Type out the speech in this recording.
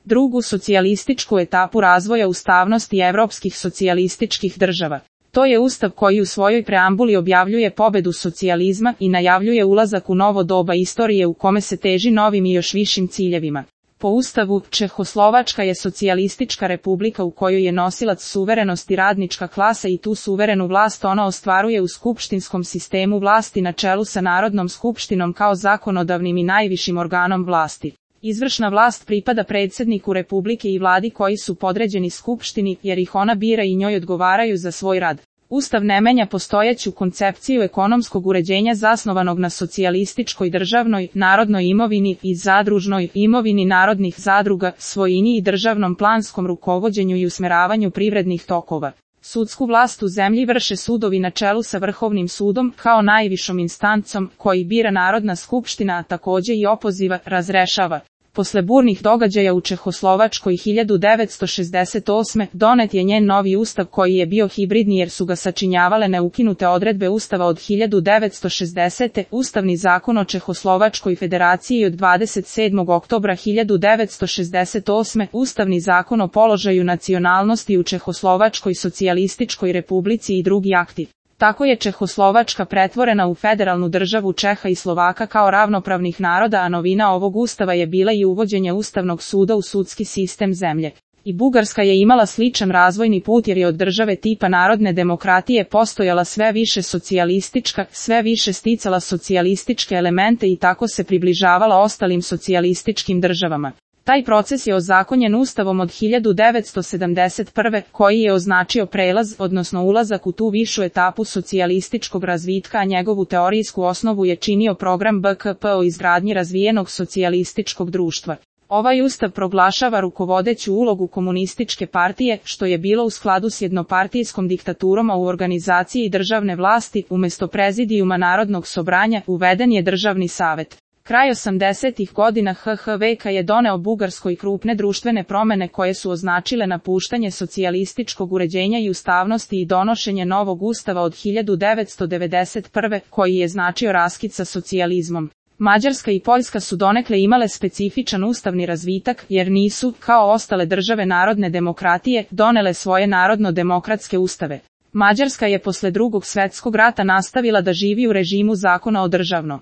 drugu socijalističku etapu razvoja ustavnosti evropskih socijalističkih država. To je ustav koji u svojoj preambuli objavljuje pobedu socijalizma i najavljuje ulazak u novo doba istorije u kome se teži novim i još višim ciljevima. Po ustavu, Čehoslovačka je socijalistička republika u kojoj je nosilac suverenosti radnička klasa i tu suverenu vlast ona ostvaruje u skupštinskom sistemu vlasti na čelu sa Narodnom skupštinom kao zakonodavnim i najvišim organom vlasti. Izvršna vlast pripada predsjedniku republike i vladi koji su podređeni skupštini jer ih ona bira i njoj odgovaraju za svoj rad. Ustav ne menja postojeću koncepciju ekonomskog uređenja zasnovanog na socijalističkoj državnoj, narodnoj imovini i zadružnoj imovini narodnih zadruga, svojini i državnom planskom rukovođenju i usmeravanju privrednih tokova. Sudsku vlast u zemlji vrše sudovi na čelu sa Vrhovnim sudom kao najvišom instancom koji bira Narodna skupština, a također i opoziva, razrešava. Posle burnih događaja u Čehoslovačkoj 1968. donet je njen novi ustav koji je bio hibridni jer su ga sačinjavale neukinute odredbe ustava od 1960. Ustavni zakon o Čehoslovačkoj federaciji od 27. oktobra 1968. Ustavni zakon o položaju nacionalnosti u Čehoslovačkoj socijalističkoj republici i drugi akti. Tako je Čehoslovačka pretvorena u federalnu državu Čeha i Slovaka kao ravnopravnih naroda, a novina ovog ustava je bila i uvođenje Ustavnog suda u sudski sistem zemlje. I Bugarska je imala sličan razvojni put jer je od države tipa narodne demokratije postojala sve više socijalistička, sve više sticala socijalističke elemente i tako se približavala ostalim socijalističkim državama. Taj proces je ozakonjen ustavom od 1971. koji je označio prelaz, odnosno ulazak u tu višu etapu socijalističkog razvitka, a njegovu teorijsku osnovu je činio program BKP o izgradnji razvijenog socijalističkog društva. Ovaj ustav proglašava rukovodeću ulogu komunističke partije, što je bilo u skladu s jednopartijskom diktaturom, a u organizaciji državne vlasti, umjesto prezidijuma Narodnog sobranja, uveden je državni savet. Kraj 80-ih godina HHVK je doneo Bugarskoj krupne društvene promjene koje su označile napuštanje socijalističkog uređenja i ustavnosti i donošenje novog ustava od 1991. koji je značio raskid sa socijalizmom. Mađarska i Poljska su donekle imale specifičan ustavni razvitak jer nisu, kao ostale države narodne demokratije, donele svoje narodno-demokratske ustave. Mađarska je posle Drugog svjetskog rata nastavila da živi u režimu zakona o državno